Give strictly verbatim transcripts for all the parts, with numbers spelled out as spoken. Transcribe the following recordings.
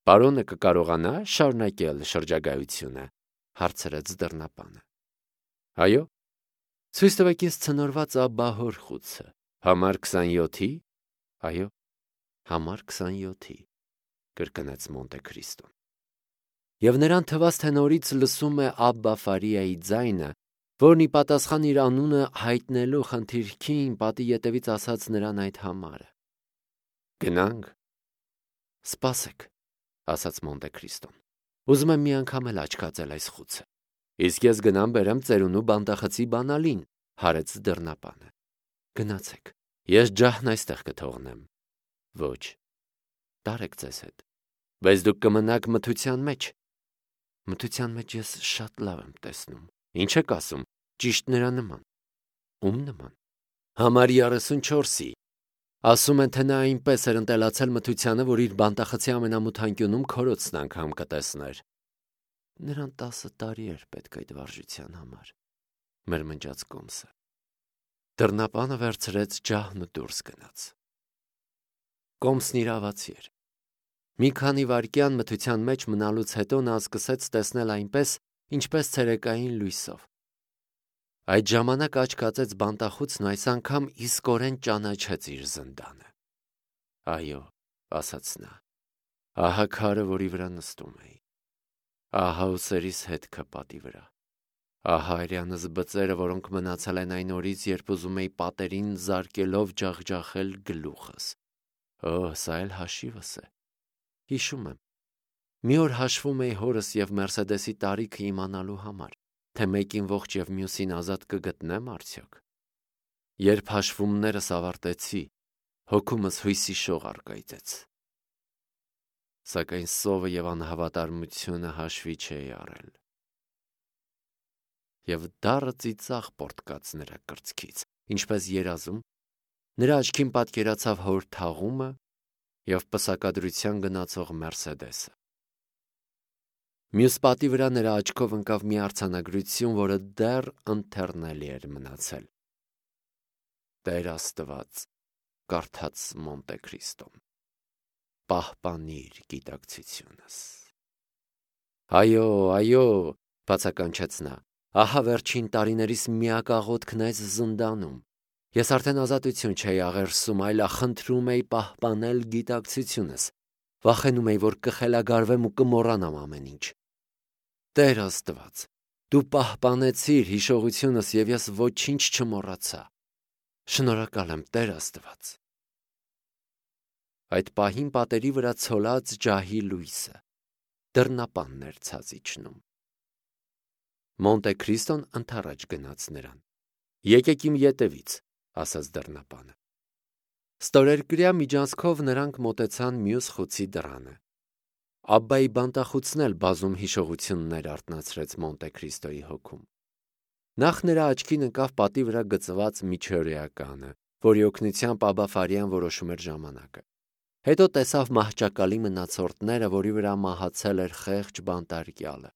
Պարոնը կկարողանա շարունակել շրջագայությունը, հարցրեց դռնապանը։ Այո, ցույց տվեք ինձ ցնորված աբահոր խուցը, համար քսանյոթի, այո, համար քսանյոթի, կրկնեց Մոնտե Քրիստոն։ Եվ նրան թվաց, թե նորից լսում է Աբբա Ֆարիայի ձայնը, որն ի պատասխան իր անունը հայտնելու խնդիրքին պատի ետևից ասաց նրան այդ համարը։ Գնանք։ Սպասեք, ասաց Մոնտե Քրիստոն։ Ուզում եմ մի անգամ էլ աչքացել այս խուցը։ Իսկ ես գնամ բերեմ ծերունու բանտախցի բանալին, հարեց դռնապանը։ Գնացեք, ես ջահն այստեղ կթողնեմ։ Ոչ, տարեք ձեզ հետ։ Բայց դուք կմնաք մթության մեջ։ Մթության մեջ ես շատ լավ եմ տեսնում։ Ինչ եք ասում, ճիշտ նրա նման։ Ում նման։ Համար երեսունչորսի։ Ասում են, թե նա այնպես էր ընտելացել մթությանը, որ իր բանտախցի ամենամութ անկյունում քորոցն անգամ կտեսներ։ Նրան տասը տարի էր պետք այդ վարժության համար, մրմնջաց Կոմսը։ Դռնապանը վերցրեց ջահն ու դուրս գնաց։ Կոմսն իրավացի էր։ Մի քանի վայրկյան մթության մեջ մնալուց հետո նա սկսեց տեսնել այնպես, ինչպես ցերեկային լույսով։ Այդ ժամանակ աչք ածեց բանտախուցն ու այս անգամ իսկորեն ճանաչեց իր զնդանը։ Այո, ասաց նա, ահա քարը, որի վրա նստում էի։ Ահա ուսերիս հետքը պատի վրա։ Ահա արյանս բծերը, որոնք մնացել են այն օրից, երբ ուզում էի պատերին զարկելով ջախջախել գլուխս։ Օ, սա էլ հաշիվս է։ Հիշում եմ։ Մի օր հաշվում էի հորս և Մերսեդեսի տարիքը իմանալու համար, թե մեկին ողջ և մյուսին ազատ կգտնեմ արդյոք։ Երբ հաշվումներս ավարտեցի, հոգումս հույսի շող առկայծեց։ Սակայն սովը և անհավատարմությունը հաշվի չէի առել։ Եվ դառը ծիծաղ պոռթկաց նրա կրծքից, ինչպես երազում, նրա աչքին պատկերացավ հոր թաղումը և պսակադրության գնացող Մերսեդեսը։ Մյուս պատի վրա նրա աչքով ընկավ մի արձանագրություն, որը դեռ ընթեռնելի էր մնացել։ Տեր Աստված, կարդաց Մոնտե Քրիստոն, պահպանիր գիտակցությունս։ Այո, այո, բացականչեց նա, ահա վերջին տարիներիս միակ աղոթքն այս զնդանում։ Ես արդեն ազատություն չէի աղերսում, այլ խնդրում էի պահպանել գիտակցությունս։ Վախենում էի, որ կխելագարվեմ ու կմոռանամ ամեն ինչ։ Տեր Աստված, դու պահպանեցիր հիշողությունս և ես ոչինչ չմոռացա։ Շնորհակալ եմ, Տեր Աստված։ Այդ պահին պատերի վրա ցոլած ջահի լույսը դռնապանն էր ցած իջնում։ Մոնտե Քրիստոն ընդառաջ գնաց նրան։ Եկեք իմ ետևից, ասաց դռնապանը։ Ստորերկրյա միջանցքով նրանք մոտեցան մյուս խուցի դռանը։ Աբբայի բանտախուցն էլ բազում հիշողություններ արթնացրեց Մոնտե Քրիստոյի հոգում։ Նախ նրա աչքին ընկավ պատի վրա գծված միջօրեականը, որի օգնությամբ Աբբա Ֆարիան որոշում էր ժամանակը։ Հետո տեսավ մահճակալի մնացորդները, որի վրա մահացել էր խեղճ բանտարկյալը։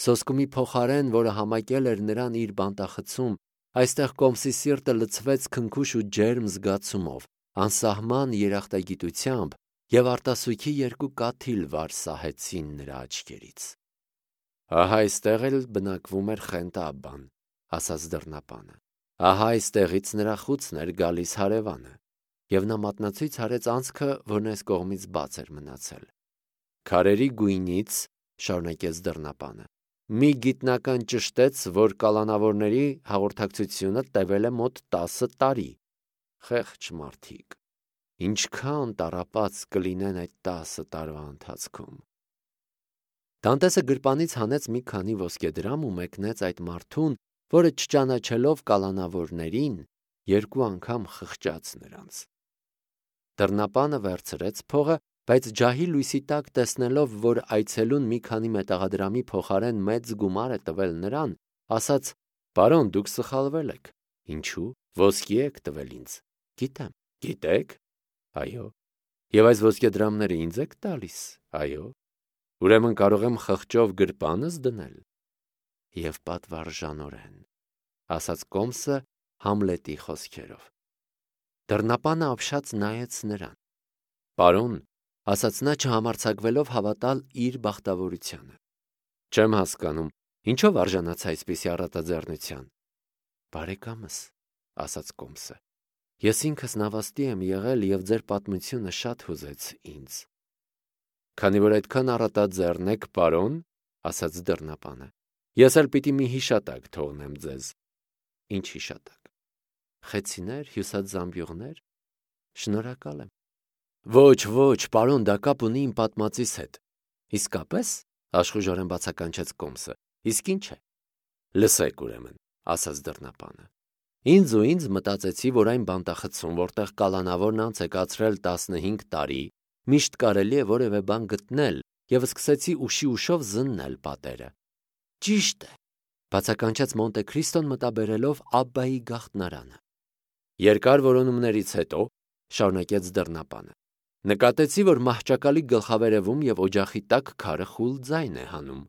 Սոսկումի փոխարեն, որը համակել էր նրան իր բանտախցում, այստեղ Կոմսի սիրտը լցվեց քնքուշ ու ջերմ զգացումով, անսահման երախտագիտությամբ, և արտասուքի երկու կաթիլ վար սահեցին նրա աչքերից։ Ահա այստեղ էլ բնակվում էր Խենթ Աբբան, ասաց դռնապանը։ Ահա այստեղից նրա խուցն էր գալիս հարևանը։ Եվ նա մատնացույց արեց անցքը, որն այս կողմից բաց էր մնացել։ Քարերի գույնից, շարունակեց դռնապանը, մի գիտնական ճշտեց, որ կալանավորների հաղորդակցությունը տևել է մոտ տասը տարի։ Խեղճ մարդիկ, ինչքան տառապած կլինեն այդ տասը տարվա ընթացքում։ Դանտեսը գրպանից հանեց մի քանի ոսկեդրամ ու մեկնեց այդ մարդուն, որը չճանաչելով կալանավորներին, երկու անգամ խղճաց նրանց։ Դռնապանը վերցրեց փողը, բայց ջահի լույսի տակ տեսնելով, որ այցելուն մի քանի մետաղադրամի փոխարեն մեծ գումար է տվել նրան, ասաց. «Պարոն, դուք սխալվել եք։ Ինչու՞։ Ոսկի եք տվել ինձ։ Գիտեմ։ Գիտեք։ Այո։ Եվ այս ոսկեդրամները ինձ եք տալիս։ Այո։ Ուրեմն կարող եմ խղճով գրպանս դնել։ Եվ պատվարժանորեն, ասաց Կոմսը Համլետի խոսքերով։ Դռնապանը ապշած նայեց նրան։ Պարոն, ասաց նա չհամարձակվելով հավատալ իր բախտավորությանը։ Չեմ հասկանում, ինչով արժանացա այսպիսի առատաձեռնության։ Բարեկամս, ասաց Կոմսը, ես ինքս նավաստի եմ եղել և ձեր պատմությունը շատ հուզեց ինձ։ Քանի որ այդքան առատաձեռն եք, պարոն, ասաց դռնապանը, ես էլ պիտի մի հիշատակ թողնեմ ձեզ։ Ինչ հիշատակ։ Խեցիներ, հյուսած զամբյուղներ։ Շնորհակալ եմ։ Ոչ, ոչ, պարոն, դա կապ ունի իմ պատմածիս հետ։ Իսկապես, աշխուժորեն բացականչեց Կոմսը։ Իսկ ինչ է։ Լսեք ուրեմն, ասաց դռնապանը։ Ինձ ու ինձ մտածեցի, որ այն բանտախցում, որտեղ կալանավորն անց է կացրել տասնհինգ տարի, միշտ կարելի է որևէ բան գտնել, և սկսեցի ուշի ուշով զննել պատերը։ Ճիշտ է, բացականչեց Մոնտե Քրիստոն մտաբերելով Աբբայի գաղտնարանը։ Երկար որոնումներից հետո, շարունակեց դռնապանը, նկատեցի, որ մահճակալի գլխավերևում և օջախի տակ քարը խուլ ձայն է հանում։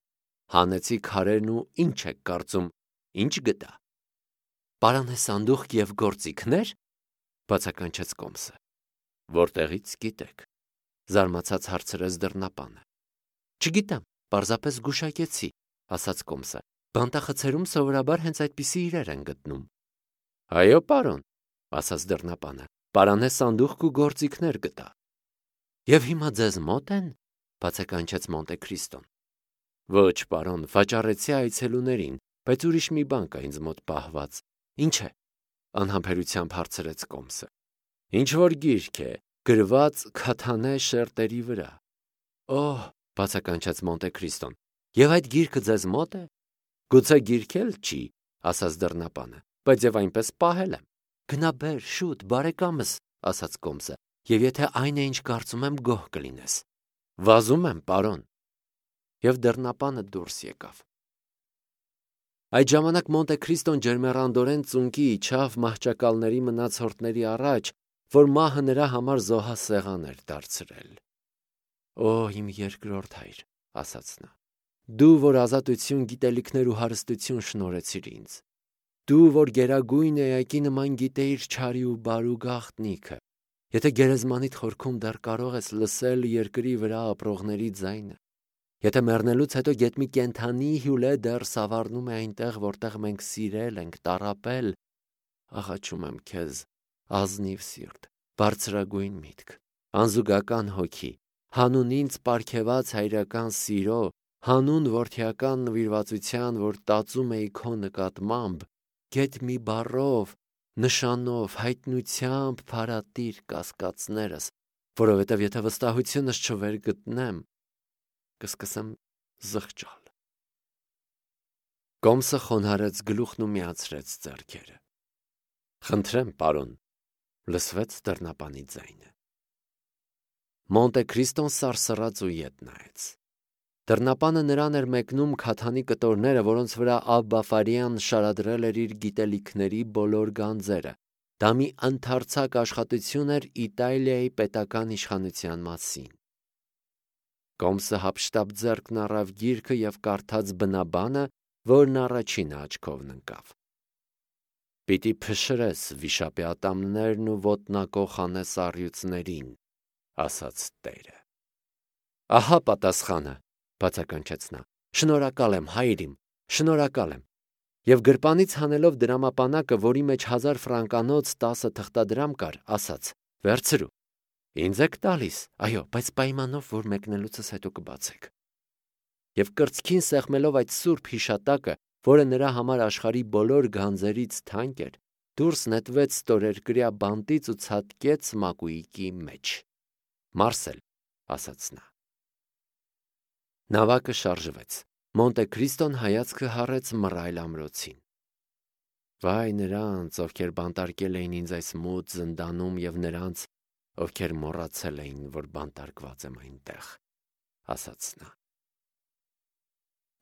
Հանեցի քարերն ու ինչ եք կարծում, ինչ գտա։ Պարան է սանդուղք և գործիքնե՞ր, բացականչեց Կոմսը։ Որտեղից գիտեք, զարմացած հարցրեց դռնապանը։ Չգիտեմ, պարզապես զգուշակեցի, ասաց Կոմսը։ Բանտախցերում սովորաբար հենց այդպիսի իրեր են գտնում։ Այո, պարոն, ասաց դռնապանը, պարան է սանդուղք ու գործիքներ գտա։ Եվ հիմա ձեզ մոտ են, բացականչեց Մոնտե Քրիստոն։ Ոչ, պարոն, վաճառեցի այցելուներին, բայց ուրիշ մի բան կա ինձ մոտ պահված։ Ինչ է, անհամբերությամբ հարցրեց Կոմսը։ Ինչ որ գիրք է, գրված քաթանե շերտերի վրա։ Օհ, բացականչեց Մոնտե Քրիստոն, և այդ գիրքը ձեզ մոտ է։ Գուցե գիրք էլ չի, ասաց դռնապանը, բայց եւ այնպես պահել եմ։ Գնա բեր, շուտ, բարեկամս, ասաց Կոմսը, եւ եթե այն է, ինչ կարծում եմ, գոհ կլինես։ Վազում եմ, պարոն։ Եվ դռնապանը դուրս եկավ։ Այդ ժամանակ Մոնտե Քրիստոն ջերմեռանդորեն ծունկի իջավ մահճակալների մնացորդների առաջ, որ մահը նրա համար զոհասեղան էր դարձրել։ Օ, իմ երկրորդ հայր, ասաց նա, դու, որ ազատություն, գիտելիքներ ու հարստություն շնորհեցիր ինձ, դու, որ գերագույն էակի նման գիտեիր չարի ու բարու գաղտնիքը, եթե գերեզմանիդ խորքում դեռ կարող ես լսել երկրի վրա ապրողների ձայնը, եթե մեռնելուց հետո գեթ մի կենդանի հյուլե դեռ սավառնում է այնտեղ, որտեղ մենք սիրել ենք, տառապել, աղաչում եմ քեզ, ազնիվ սիրտ, բարձրագույն միտք, անզուգական հոգի, հանուն ինձ պարգևած հայրական սիրո, հանուն որդիական նվիրվածության, որ տածում էի քո նկատմամբ, գեթ մի բառով, նշանով, հայտնությամբ փարատիր կասկածներս, որովհետև եթե վստահությունս չվերգտնեմ, կսկսեմ զղջալ։ Կոմսը խոնարհեց գլուխն ու միացրեց ձեռքերը։ Խնդրեմ, պարոն, լսվեց դռնապանի ձայնը։ Մոնտե Քրիստոն սարսռաց ու ետ նայեց։ Դռնապանը նրան էր մեկնում քաթանի կտորները, որոնց վրա Աբբա Ֆարիան շարադրել էր իր գիտելիքների բոլոր գանձերը։ Դա մի ընդարձակ աշխատություն էր Իտալիայի պետական իշխանության մասին։ Կոմսը հափշտապ ձեռքն առավ գիրքը և կարդաց բնաբանը, որն առաջինը աչքովն ընկավ։ Պիտի փշրես վիշապի ատամներն ու ոտնակոխ անես առյուծներին, ասաց Տերը։ Ահա պատասխանը, բացականչեց նա, շնորհակալ եմ, հայր իմ, շնորհակալ եմ։ Եվ գրպանից հանելով դրամապանակը, որի մեջ հազար ֆրանկանոց տասը թղթադրամ կար, ասաց. Վերցրու։ Ինձ եք տալիս, այո, բայց պայմանով, որ մեկնելուցս հետո կբացեք։ Եվ կրծքին սեղմելով այդ սուրբ հիշատակը, որը նրա համար աշխարհի բոլոր գանձերից թանկ էր, դուրս նետվեց ստորերկրյա բանտից ու ցատկեց մակույկի մեջ։ Մարսել, ասաց նա։ Նավակը շարժվեց։ Մոնտե Քրիստոն հայացքը հառեց մռայլ ամրոցին։ Վայ նրանց, ովքեր բանտարկել էին ինձ այս մութ զնդանում և նրանց, ովքեր մոռացել էին, որ բանտարկված եմ այնտեղ, ասաց նա։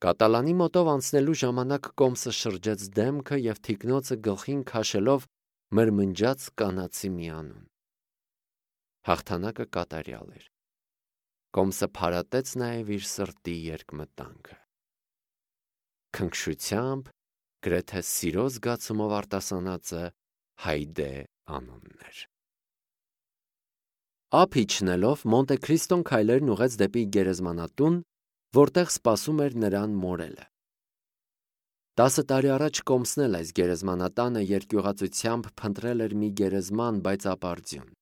Կատալանի մոտով անցնելու ժամանակ Կոմսը շրջեց դեմքը և թիկնոցը գլխին քաշելով մրմնջաց կանացի մի անուն։ Հաղթանակը կատարյալ էր։ Կոմսը փարատեց նաև իր սրտի երկմտանքը։ Քնքշությամբ, գրեթե սիրո զգացումով արտասանածը Հայդե անունն էր։ Ափ իջնելով Մոնտե Քրիստոն քայլերն ուղեց դեպի գերեզմանատուն, որտեղ սպասում էր նրան մորելը։ Տասը տարի առաջ Կոմսն էլ այս գերեզմանատանը երկյուղածությամբ փնտրել էր մի գերեզման, բայց ապարդյուն։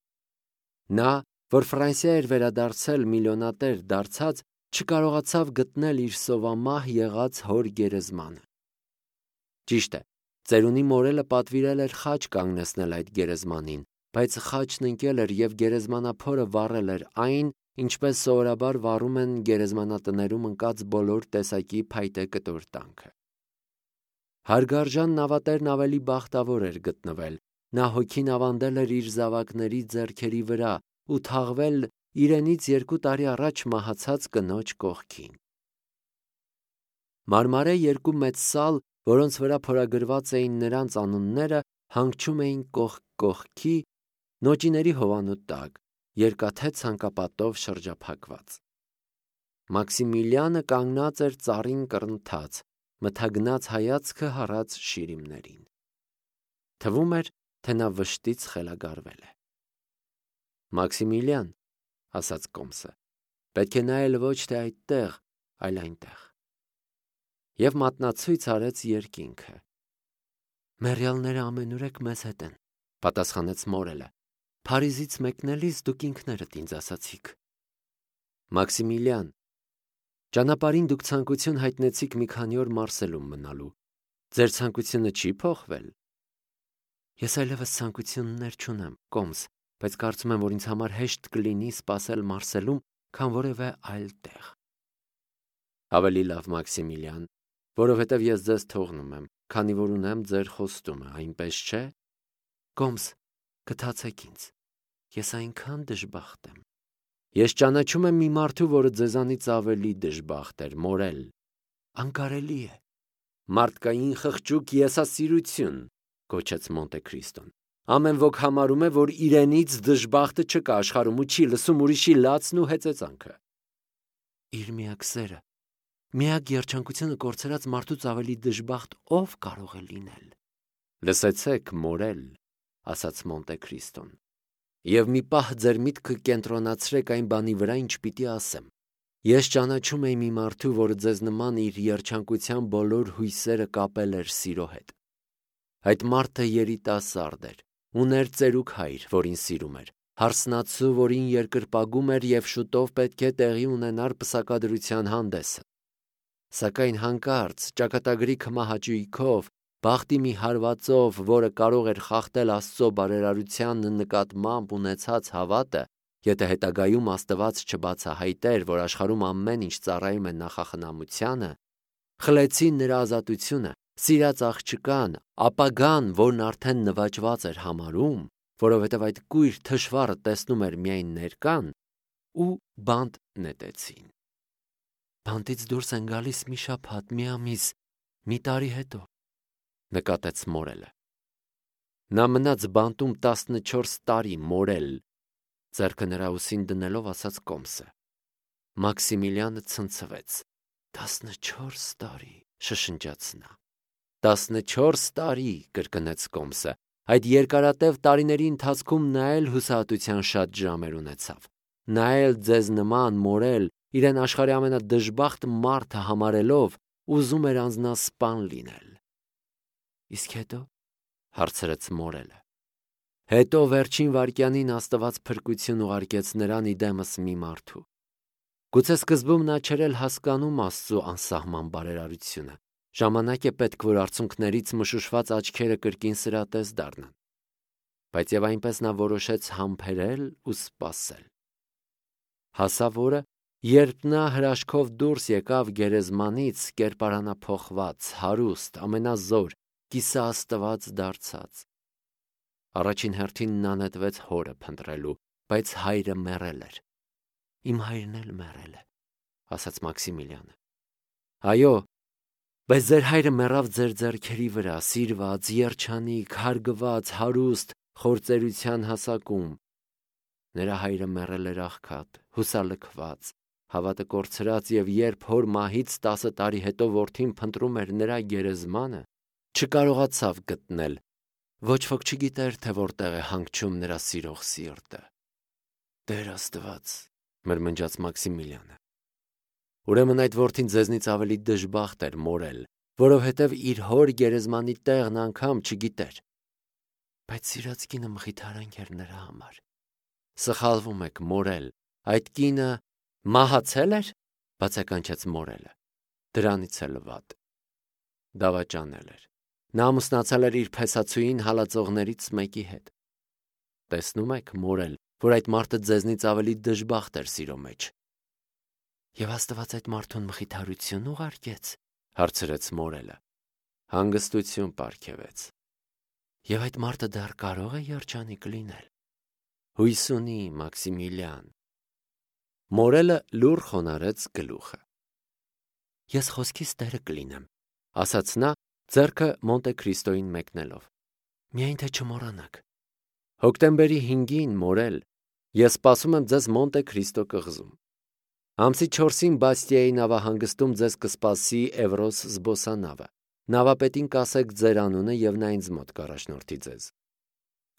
Նա, որ Ֆրանսիա էր վերադարձել միլիոնատեր դարձած, չկարողացավ գտնել իր սովամահ եղած հոր գերեզմանը։ Ճիշտ է, ծերունի մորելը պատվիրել էր խաչ կանգնեցնել այդ գերեզմանին, բայց խաչն ընկել էր և գերեզմանափորը վառել էր այն, ինչպես սովորաբար վառում են գերեզմանատներում ընկած բոլոր տեսակի փայտե կտոր տանքը։ Հարգարժան նավատերն ավելի բախտավոր էր գտնվել, նա հոգին ավանդել էր իր զավակների ձեռքերի վրա ու թաղվել իրենից երկու տարի առաջ մահացած կնոջ կողքին։ Մարմարե երկու մեծ սալ, որոնց վրա փորագրված էին նրանց անունները, հանգչում էին կողք կողքի, նոճիների հովանու տակ, երկաթե ցանկապատով շրջափակված։ Մաքսիմիլիանը կանգնած էր ծառին կռնթած, մթագնած հայացքը հառած շիրիմներին։ Թվում էր, թե նա վշտից խելագարվել է։ Մաքսիմիլիան, ասաց Կոմսը, պետք է նայել ոչ թե այդտեղ, այլ այնտեղ։ Եվ մատնացույց արեց երկինքը։ Մեռյալները ամենուրեք մեզ հետ են, պատասխանեց մորելը։ Փարիզից մեկնելիս դուք ինքներդ ինձ ասացիք։ Մաքսիմիլիան, ճանապարհին դուք ցանկություն հայտնեցիք մի քանի օր Մարսելում մնալու։ Ձեր ցանկությունը չի փոխվել։ Ես այլևս ցանկություններ չունեմ, Կոմս, բայց կարծում եմ, որ ինձ համար հեշտ կլինի սպասել Մարսելում, քան որևէ այլ տեղ։ Ավելի լավ, Մաքսիմիլիան, որովհետև ես ձեզ թողնում եմ, քանի որ ունեմ ձեր խոստումը, այնպես չէ։ Կոմս, գթացեք ինձ։ Ես այնքան դժբախտ եմ։ Ես ճանաչում եմ մի մարդու, որը ձեզանից ավելի դժբախտ էր, մորել։ Անկարելի է։ Մարդկային խղճուկ եսասիրություն, գոչեց Մոնտե Քրիստոն։ Ամեն ոք համարում է, որ իրենից դժբախտը չկա աշխարհում ու չի լսում ուրիշի լացն ու հեծեծանքը։ Իր միակ սերը, միակ երջանկությունը կորցրած մարդուց ավելի դժբախտ ով կարող է լինել։ Լսեցեք, մորել, ասաց Մոնտե Քրիստոն, և մի պահ ձեր միտքը կենտրոնացրեք այն բանի վրա, ինչ պիտի ասեմ։ Ես ճանաչում էի մի մարդու, որը ձեզ նման իր երջանկության բոլոր հույսերը կապել էր սիրո հետ։ Այդ մարդը երիտասարդ էր, ուներ ծերուկ հայր, որին սիրում էր, հարսնացու, որին երկրպագում էր և շուտով պետք է տեղի ունենար պսակադրության հանդեսը։ Սակայն հանկարծ ճակատագրի քմահաճույքով, բախտի մի հարվածով, որը կարող էր խախտել Աստծո բարերարության նկատմամբ ունեցած հավատը, եթե հետագայում Աստված չբացահայտեր, որ աշխարհում ամեն ինչ ծառայում է նախախնամությանը, խլեցին նրա ազատությունը, սիրած աղջկան, ապագան, որն արդեն նվաճված էր համարում, որովհետև այդ կույր թշվառը տեսնում էր միայն ներկան, ու բանտ նետեցին։ Բանտից դուրս են գալիս մի շաբաթ, մի ամիս, մի տարի հետո, նկատեց մորելը։ Նա մնաց բանտում տասնչորս տարի, մորել, ձեռքը նրա ուսին դնելով ասաց Կոմսը։ Մաքսիմիլիանը ցնցվեց։ Տասնչորս տարի, շշնջաց նա։ Տասնչորս տարի, կրկնեց Կոմսը։ Այդ երկարատև տարիների ընթացքում նա էլ հուսահատության շատ ժամեր ունեցավ։ Նա էլ ձեզ նման մորել, իրեն աշխարհի ամենադժբախտ մարդը համարելով, ուզում էր անձնասպան լինել։ Իսկ հետո, հարցրեց մորելը։ Հետո վերջին վայրկյանին Աստված փրկություն ուղարկեց նրան իդեմս մի մարդու։ Գուցե սկզբում նա չէր էլ հասկանում Աստծո անսահման բարերարությունը։ Ժամանակ է պետք, որ արցունքներից մշուշված աչքերը կրկին սրատես դառնան։ Բայց եւ այնպես նա որոշեց համբերել ու սպասել։ Հասավ օրը, երբ նա հրաշքով դուրս եկավ գերեզմանից, կերպարանափոխված, հարուստ, ամենազոր, կիսաաստված դարձած։ Առաջին հերթին նա նետվեց հորը փնտրելու, բայց հայրը մեռել էր։ Իմ հայրն էլ մեռել է, ասաց Մաքսիմիլիանը։ Այո, բայց ձեր հայրը մեռավ ձեր ձեռքերի վրա, սիրված, երջանիկ, հարգված, հարուստ, խործերության հասակում։ Նրա հայրը մեռել էր աղքատ, հուսալքված, հավատը կորցրած, և երբ հոր մահից տասը տարի հետո որդին փնտրում էր նրա գերեզմանը, չկարողացավ գտնել, ոչ ոք չգիտեր, թե որտեղ է հանգչում նրա սիրող սիրտը։ Տեր Աստված, մրմնջաց Մաքսիմիլյանը։ Ուրեմն այդ որդին ձեզնից ավելի դժբախտ էր մորել, որովհետև իր հոր գերեզմանի տեղն անգամ չգիտեր։ Բայց սիրած կինը մխիթարանք էր նրա համար։ Սխալվում եք, մորել, այդ կինը մահացել էր, բացականչեց մորելը։ Դրանից էլ վատ։ Դավաճանել էր։ Նա ամուսնացել էր իր փեսացուին հալածողներից մեկի հետ։ Տեսնում եք, մորել, որ այդ մարդը ձեզնից ավելի դժբախտ էր սիրո մեջ։ Եվ Աստված այդ մարդուն մխիթարություն ուղարկեց, հարցրեց մորելը։ Հանգստություն պարգևեց։ Եվ այդ մարդը դեռ կարող է երջանիկ լինել։ Հույս ունի, Մաքսիմիլյան։ Մորելը լուռ խոնարհեց գլուխը։ Ես խոսքիս տերը կլինեմ, ասաց նա, ձեռքը Մոնտե Քրիստոյին մեկնելով։ Միայն թե չմոռանաք։ Հոկտեմբերի հինգին, մորել, ես սպասում եմ ձեզ Մոնտե Քրիստո կղզում։ Ամսի չորսին Բաստիայի նավահանգստում ձեզ կսպասի Էվրոս զբոսանավը։ Նավապետին կասեք ձեր անունը և նա ինձ մոտ կառաջնորդի ձեզ։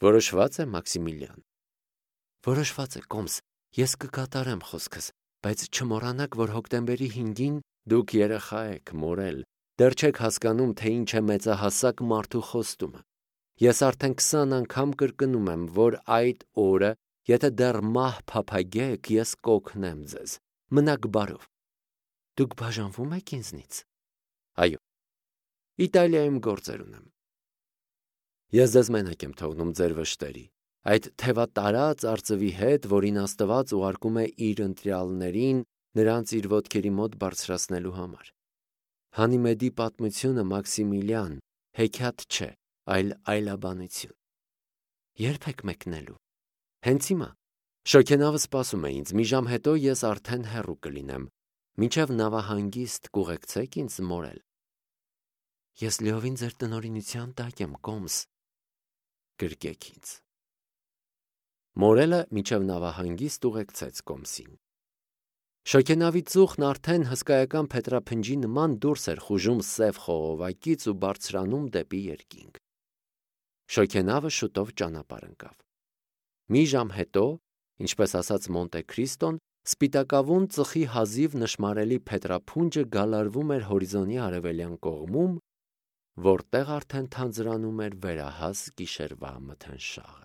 Որոշված է, Մաքսիմիլյան։ Որոշված է, կոմս, ես կկատարեմ խոսքս, բայց չմոռանաք, որ հոկտեմբերի հինգին դուք երեխա եք, մորել, դեռ չեք հասկանում, թե ինչ է մեծահասակ մարդու խոստումը։ Ես արդեն քսան անգամ կրկնում եմ, որ այդ օրը, եթե դեռ մահ փափագեք, ես կօգնեմ ձեզ։ Մնաք բարով։ Դուք բաժանվում եք ինձնից։ Այո։ Իտալիայում գործեր ունեմ։ Ես ձեզ մենակ եմ թողնում ձեր վշտերի, այդ թևատարած արծվի հետ, որին Աստված ուղարկում է իր ընտրյալներին նրանց իր ոտքերի մոտ բարձրացնելու համար։ Հանիմեդի պատմությունը, Մաքսիմիլյան, հեքիաթ չէ, այլ այլաբանություն։ Երբ եք մեկնելու։ Հենց հիմա։ Շոգենավը սպասում է ինձ, մի ժամ հետո ես արդեն հեռու կլինեմ, մինչև նավահանգիստ կուղեկցեք ինձ, մորել։ Ես լիովին ձեր տնօրինության տակ եմ, կոմս։ Գրկեք ինձ։ Մորելը մինչև նավահանգիստ ուղեկցեց կոմսին։ Շոգենավի ծուխն արդեն հսկայական փետրափնջի նման դուրս էր խուժում սև խողովակից ու բարձրանում դեպի երկինք։ Շոգենավը շուտով ճանապարհ ընկավ։ Մի ժամ հետո, ինչպես ասաց Մոնտե Քրիստոն, սպիտակավուն ծխի հազիվ նշմարելի փետրափունջը գալարվում էր հորիզոնի արևելյան կողմում, որտեղ արդեն թանձրանում էր վերահաս գիշերվա մթնշաղը։